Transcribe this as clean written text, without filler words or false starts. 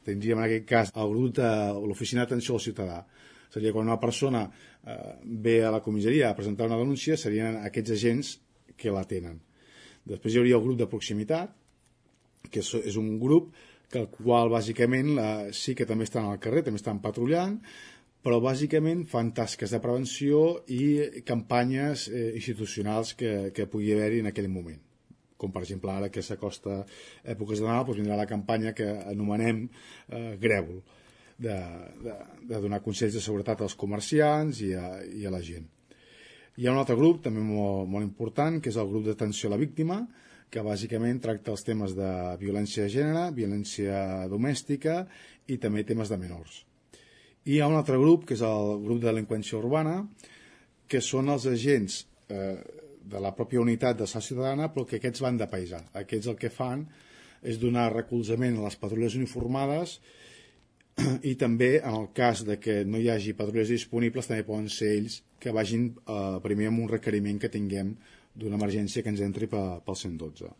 tindríem en aquest cas el grup de l'Oficina d'Atenció al Ciutadà. Seria quan una persona ve a la comissaria a presentar una denúncia, serien aquests agents que la tenen. Després hi hauria el grup de proximitat, que és un grup que el qual bàsicament sí que també estan al carrer, també estan patrullant, però bàsicament fan tasques de prevenció i campanyes institucionals que pugui haver-hi en aquell moment. Com per exemple ara que s'acosta èpoques de Nadal, doncs vindrà la campanya que anomenem Grèvol, de donar consells de seguretat als comerciants i a la gent. Hi ha un altre grup també molt important, que és el grup d'atenció a la víctima, que bàsicament tracta els temes de violència de gènere, violència domèstica i també temes de menors. I hi ha un altre grup, que és el grup de delinqüència urbana, que són els agents de la pròpia unitat de la ciutadana, però que aquests van de paisà. Aquests el que fan és donar recolzament a les patrulles uniformades i també, en el cas de que no hi hagi patrulles disponibles, també poden ser ells que vagin primer amb un requeriment que tinguem d'una emergència que ens entri pel 112.